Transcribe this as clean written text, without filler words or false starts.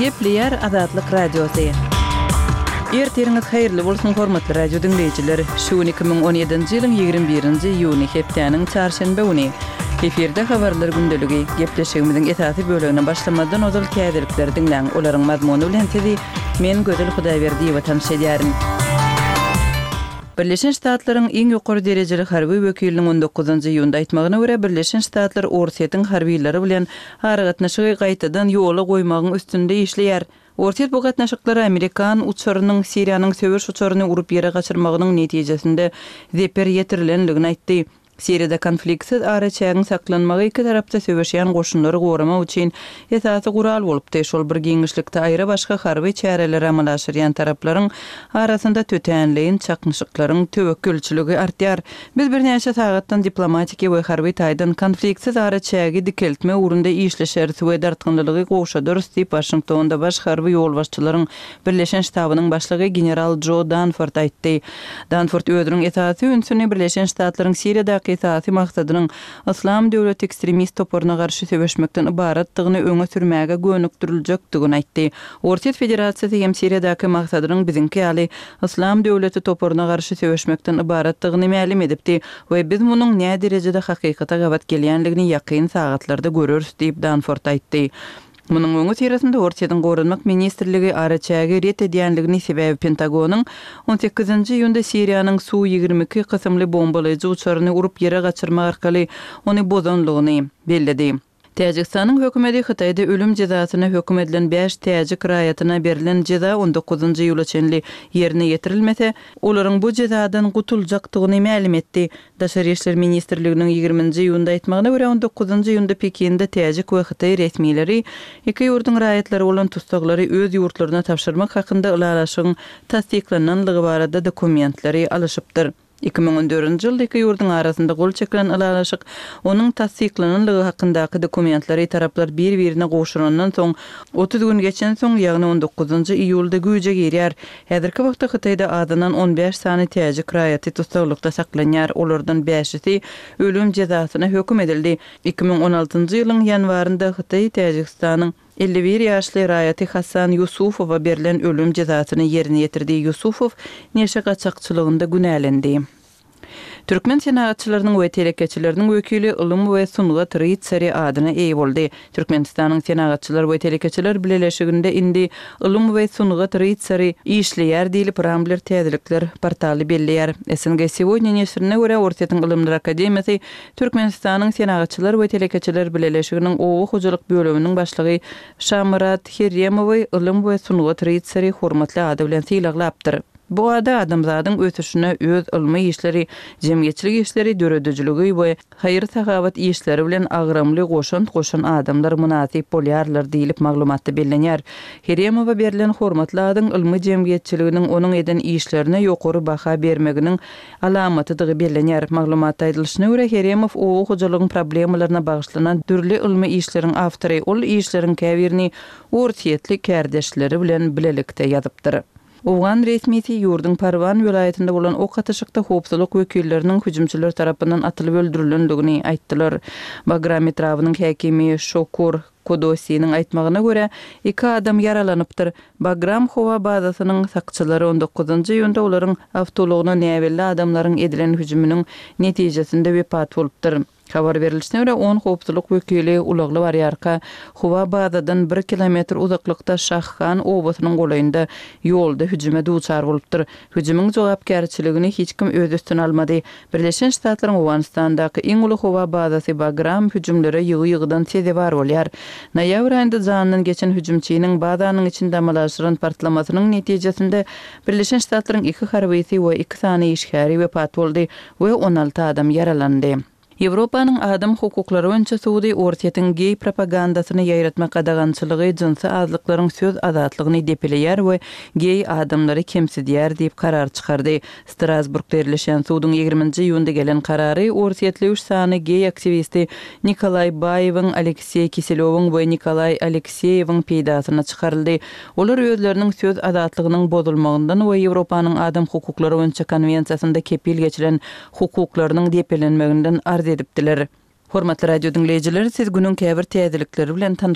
Gepleýär Azatlyk Radiosy. Ertiriňiz haýyrly bolsun hormatly radio diňleýjiler. Şu gün 2017-nji ýylyň 21-nji iýuny hepdäniň çarşenbe güni. Efirde habarlar gündeligi. Gepleşigimiziň esasy bölegine başlamazdan ozal täzelikleri diňläň. Olaryň mazmuny bilen sizi men Gözel Hudaýberdiýewa tanyş edýärin. Birleşen Ştatlaryň iň ýokary derejeli harby wekiliniň on dokuzynjy iýunda aýtmagyna görä, Birleşen Ştatlar Orsýetiň harbylary bilen aragatnaşygy gaýtadan ýola goýmagyň üstünde işleýär. Orsýet bu gatnaşyklara amerikan uçarynyň Siriýanyň söweş uçaryny urup ýere gaçyrmagynyň netijesinde zeper ýetirilendigini aýtdy. Siriýada konfliktsiz araçägiň saklanmagy iki tarapda söweşýän goşunlary goramak üçin esasy gural bolupdy. Şol bir giňişlikde aýra-başga harby çäreleri amala aşyrýan taraplaryň arasynda tötänleýin çaknyşyklaryň töwekgelçiligi artýar. Biz birnäçe sagatdan diplomatiki we harby taýdan konfliktsiz araçägi dikeltmek ugrunda işleşeris we dartgynlylygy gowşadarys diýip, Waşingtonda baş harby ýolbaşçylaryň Birleşen ştabynyň başlygy general Jo Danford aýtdy. Danford özüniň esasy ünsüni Birleşen Ştatlaryň Siriýadaky esasy maksadynyň Yslam döwleti ekstremist toparyna garşy söweşmekden ybaratdygyny öňe sürmäge gönükdiriljekdigini aýtdy. Orsýet Federasiýasy hem Siriýadaky maksadynyň biziňki ýaly Yslam döwleti toparyna garşy söweşmekden ybaratdygyny mälim edipdi we biz munuň näderejede hakykata gabat gelýändigini ýakyn sagatlarda göreris diýip, Danford aýtdy. Munuň öňüsyrasynda Orsýetiň Goranmak ministrligi araçägi ret edýänligini, sebäbi Pentagonyň on sekizinji iýunda Siriýanyň Su 22 kysymly bombalaýjy uçaryny urup ýere gaçyrmak arkaly ony bozanlygyny belledi. Täjigistanyň hökümeti Hytaýda ölüm jezasyna höküm edilen bäş täjik raýatyna berlen jeza on dokuzynjy iýula çenli ýerine ýetirilmese, olaryň bu jezadan gutuljakdygyny mälim etdi. Daşary işler ministrliginiň ýigriminji iýunda aýtmagyna görä, on dokuzynjy iýunda Pekinde täjik we hytaý resmileri iki ýurduň raýatlary bolan tussaglary öz ýurtlaryna tabşyrmak hakynda ylalaşygyň tassyklananlygy barada dokumentleri alyşypdyr. 2014-nji ýylda iki ýurduň arasynda gol çekilen ylalaşyk onuň tassyklananlygy hakyndaky dokumentleri taraplar bir-birine gowşurandan soň 30 gün geçensoň, ýagny on dokuzynjy iýulda güýje girýär. Häzirki wagtda Hytaýda azyndan on bäş sany täjik raýaty tussaglykda saklanýar, olardan bäşisi ölüm jezasyna höküm edildi. 2016-njy ýylyň ýanwarynda Hytaý Täjigistanyň 51 ýaşly raýaty Hasan Ýusufowa berlen ölüm jezasyny ýerine ýetirdi. Ýusufow neşe gaçakçylygynda günälendi. Türkmen senagatçylarynyň we telekeçileriniň wekili Ylym we sungat rytsary adyna eýe boldy. Türkmenistanyň Senagatçylar we telekeçiler bileleşiginde indi Ylym we sungat rytsary işleýär diýlip, Rambler täzelikler portaly belleýär. SNG Segodnýa neşirine görä, Orsýetiň Ylymlar akademiýasy Türkmenistanyň Senagatçylar we telekeçiler bileleşiginiň oba hojalyk bölüminiň başlygy Şamyrat Herremowy Ylym we sungat rytsary hormatly ady bilen sylaglapdyr. Bu ada adamzadyň ösüşine öz ylmy işleri, jemgyýetçilik işleri, döredijiligi we haýyr-sahawat işleri bilen agramly goşant goşan adamlar mynasyp bolýarlar diýlip maglumatda bellenýär. Heremowa berlen hormatly adyň ylmy jemgyýetçiliginiň onuň eden işlerine ýokary baha bermeginiň alamatydygy bellenýär. Maglumatda aýdylyşyna görä, Heremow oba hojalygyň problemalaryna bagyşlanan dürli ylmy işleriň awtory. Ol işleriň käbirini orsýetli kärdeşleri bilen bilelikde ýazypdyr. Owgan resmisi ýurduň Parwan welaýatynda bolan ok atyşykda howpsuzlyk wekilleriniň hüjümçiler tarapyndan atylyp öldürilendigini aýtdylar. Bagram etrabynyň häkimi Şokur Kodosiniň aýtmagyna görä, iki adam ýaralanypdyr. Bagram howa bazasynyň sakçylary on dokuzynjy iýunda olaryň awtoulagyna näbelli adamlaryň edilen hüjüminiň netijesinde wepat bolupdyr. Habar berlişine görä, on howpsuzlyk wekili ulagly barýarka, howa bazadan bir kilometr uzaklykda Şahhan obasynyň golaýynda ýolda hüjüme duçar bolupdyr. Hüjümiň jogapkärçiligini hiç kim öz üstüne almady. Birleşen Ştatlaryň Owganystandaky iň uly howa bazasy Bagram hüjümlere ýygy-ýygydan sezewar bolýar. Noýabr aýynda janyndan geçen hüjümçiniň bazanyň içinde amala aşyran partlamasynyň netijesinde Birleşen Ştatlaryň iki harbysy we iki sany işgäri wepat boldy. we 16 adam ýaralandy. Ýewropanyň adam hukuklary boýunça sudy Orsýetiň geý propagandasyny ýaýratmak gadagançylygy jynsy azlyklaryň söz azatlygyny depeleýär we geý adamlary kemsidýär diýip karar çykardy. Strasburgda ýerleşýän suduň ýigriminji iýunda gelen karary orsýetli üç sany geý aktiwisti Nikolaý Baýewiň, Alekseý Kiselýowyň we Nikolaý Alekseýewiň peýdasyna çykaryldy. Olar özleriniň söz azatlygynyň bozulmagyndan we Ýewropanyň Adam hukuklary boýunça konwensiýasynda kepil geçilen hukuklarynyň depelenmeginden arz edipdiler. Hormatly radio diňleýjiler, siz günüň käbir täzelikleri bilen tanyş.